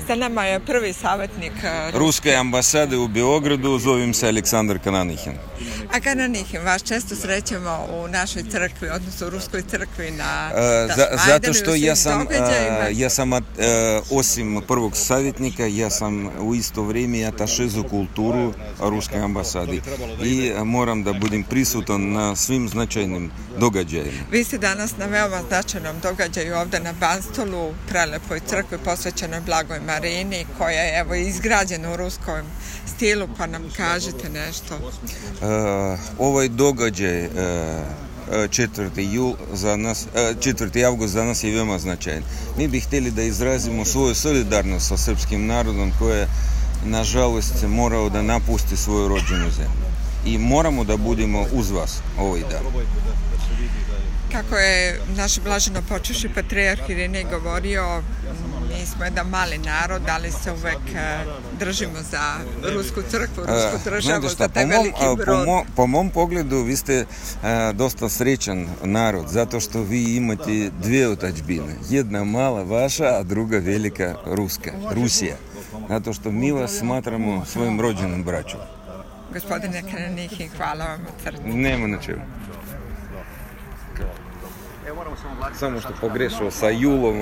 Sa nama je prvi savjetnik Ruske ambasade u Beogradu, zovem se Aleksandar Kananihin. A Kananihin, vas često srećemo u našoj crkvi, odnosno u Ruskoj crkvi na Zato što ja sam osim prvog savjetnika, ja sam u isto vrijeme ataše za kulturu Ruske ambasade i moram da budem prisutan na svim značajnim događajima. Vi ste danas na veoma značajnom događaju ovdje na Banstolu, prelepoj crkvi posvećenoj Blagoj Marini, koja je evo izgrađena u ruskom stilu, pa nam kažete nešto. Ovaj događaj 4. avgust za nas je veoma značajan. Mi bi htjeli da izrazimo svoju solidarnost sa srpskim narodom koji je, nažalost, morao da napusti svoju rođenu zemlju. I moramo da budemo uz vas ovaj dan. Kako je naš blaženo počivši patrijarh Irinej govorio, mi smo jedan mali narod, ali se uvek držimo za Rusku crkvu, Rusku državu, za taj veliki brod. Po mom pogledu vi ste dosta srećan narod, zato što vi imate dvije otadžbine. Jedna mala vaša, a druga velika Rusija. Zato što mi vas smatramo svojim rođenom braćom. Gospodine Kananihin, hvala vam od srca. Nema na čemu. Samo što pogrešao sa julom.